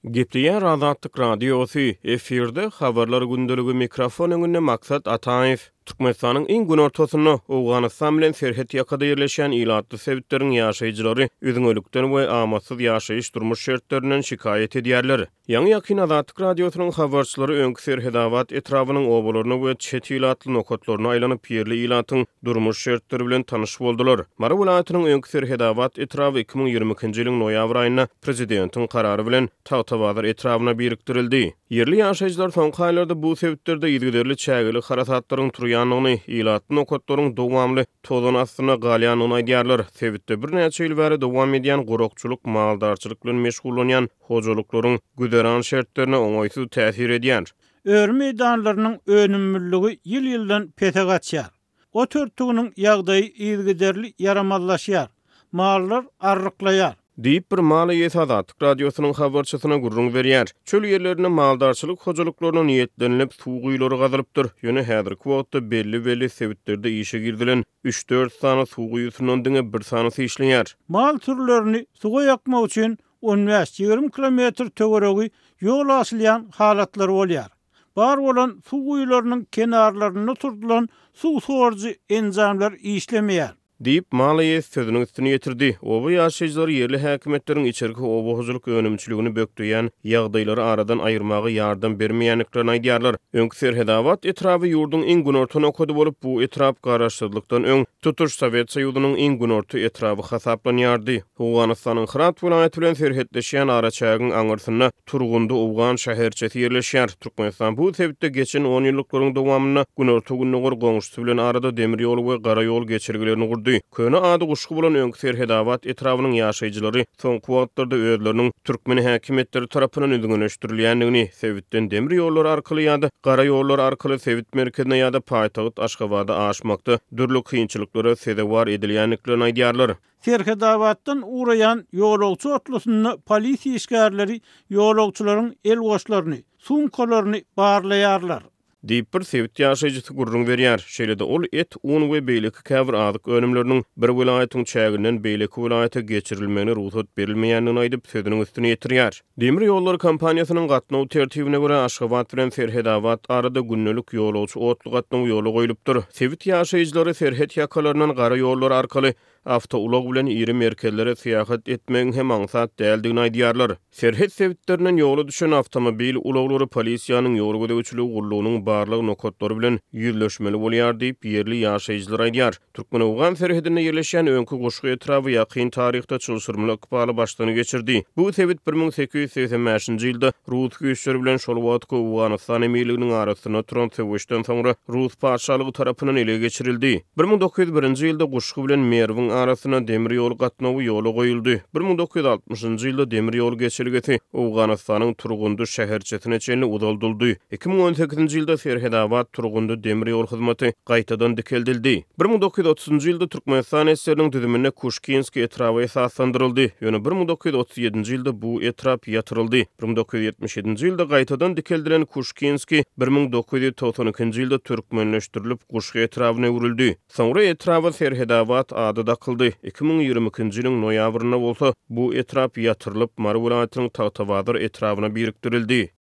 Gepleýär Azatlyk Radiosy, efirde Habarlar gündeligi mikrofon öňünde Maksat Ataýew. Türkmenistanyň iň günortasynda, Owganystan bilen serhet ýakada ýerleşýän ilatly sebitleriň ýaşaýjylary üzňelikden we amatsyz ýaşaýyş-durmuş şertlerinden şikaýat edýärler. Ýaňy-ýakyn Azatlyk Radiosynyň habarçylary öňki Serhedabat etrabynyň obalaryna we çet ilatly nokatlaryna aýlanyp, ýerli ilatyň durmuş şertleri bilen tanyş boldular. Mary welaýatynyň öňki Serhedabat etraby 2022-nji ýylyň noýabr aýynda prezidentiň karary bilen Tagtabazar etrabyna birikdirildi. Ýerli ýaşaýjylar soňky aýlarda bu sebitlerde yzygiderli çägeli harasatlaryň turýandygyny, ilatly nokatlaryň dowamly tozan astynda galýandygyny aýdýarlar. Sebitde birnäçe ýyl bäri dowam edýän gurakçylyk maldarçylyk bilen meşgullanýan hojalyklaryň güzeran şertlerine oňaýsyz täsir edýär. Öri meýdanlarynyň önümliligi ýyl-ýyldan pese gaçýar. Ot örtüginiň ýagdaýy yzygiderli ýaramazlaşýar. Mallar arryklaýar. Diýip, bir mal eýesi Azatlyk Radiosynyň habarçysyna gürrüň berýär. Çöl ýerlerinde maldarçylyk hojalyklaryna niýetlenilip, suw guýulary gazylypdyr. Ýöne häzirki wagtda belli-belli sebitlerde işe girizilen üç-dört sany suw guýusyndan diňe bir sanysy işleýär. Mal sürülerini suwa ýakmak üçin on bäş-ýigrimi kilometr töweregi ýol aşylýan halatlary bolýar. Bar bolan suw guýularynyň kenarlarynda oturdylan suw sorujy enjamlar işlemeýär. Diýip, mal eýesi sözüniň üstüni ýetirdi. Oba ýaşaýjylary ýerli häkimiýetleriň içerki oba hojalyk önümçiligini bökdeýän ýagdaýlary aradan aýyrmaga ýardam bermeýändiklerini aýdýarlar. Öňki Serhedabat etraby ýurduň iň günorta nokady bolup, bu etrap garaşsyzlykdan öň tutuş Sowet Soýuzynyň iň günorta etraby hasaplanýardy. Owganystanyň Hyrat welaýaty bilen serhetleşýän araçägiň aňyrsynda Turgundy owgan şäherçesi ýerleşýär. Türkmenistan bu sebitde geçen onýyllyklaryň dowamynda günorta-gündogar goňşusy bilen arada demir ýol we gara ýol geçelgelerini gurdy. Köne ady Guşgy bolan öňki Serhedabat etrabynyň ýaşaýjylary soňky wagtlarda özleriniň türkmen häkimiýetleri tarapyndan üzňeleşdirilýändigini, sebitden demir ýollary arkaly ýa-da gara ýollar arkaly sebit merkezine ýa-da paýtagt Aşgabada aşmakda dürli kynçylyklara sezewar edilýändiklerini aýdýarlar. Serhedabatdan ugraýan ýolagçy otlusynda polisiýa işgärleri ýolagçylaryň el goşlaryny, sumkalaryny barlaýarlar. Diýip, bir sebit ýaşaýjysy gürrüň berýär. Şeýle-de ol et, un we beýleki käbir azyk önümleriniň bir welaýatyň çäginden beýleki welaýata geçirilmegine rugsat berilmeýändigini aýdyp, sözüniň üstüni ýetirýär. Demir ýollary kompaniýasynyň gatnaw tertibine görä, Aşgabat bilen Serhedabat arada gündelik ýolagçy otly gatnawy ýola goýlupdyr. Sebit ýaşaýjylary serhet ýakalaryndan gara ýollar arkaly Awtoulag bilen iri merkezlere syýahat etmegiň hem aňsat däldigini aýdýarlar. Serhet sebitlerinden ýola düşen awtomobil ulaglary polisiýanyň ýol gözegçiligi gullugynyň barlag nokatlary bilen ýüzleşmeli bolýar diýip, ýerli ýaşaýjylar aýdýar. Türkmen-owgan serhedinde ýerleşýän öňki Guşgy etraby ýakyn taryhda çylşyrymly ykbaly başdan geçirdi. Bu sebit 1885-nji ýylda rus güýçleri bilen şol wagtky Owganystan emirliginiň arasynda turan söweşden soňra rus patyşalygy tarapyndan ele geçirildi. 1901-nji ýylda Guşgy bilen Merwiň arasynda demir ýol gatnawy ýola goýuldy. 1960-njy ýylda demir ýol geçelgesi Owganystanyň Turgundy şäherçesine çenli uzaldyldy. 2018-nji ýylda Serhedabat-Turgundy demir ýol hyzmaty gaýtadan dikeldildi. 1930-njy ýylda Türkmenistan SSR-niň düzüminde Kuşkinskiý etraby esaslandyryldy, ýöne 1937-nji ýylda bu etrap ýatyryldy. 1977-nji ýylda gaýtadan dikeldilen Kuşkinskiý 1992-nji ýylda türkmenleşdirilip, Guşgy etrabyna öwrüldi. Soňra etraba Serhedabat ady dakyldy. 2022-nji ýylyň noýabrynda bolsa bu etrap ýatyrylyp, Mary welaýatynyň Tagtabazar etrabyna birikdirildi.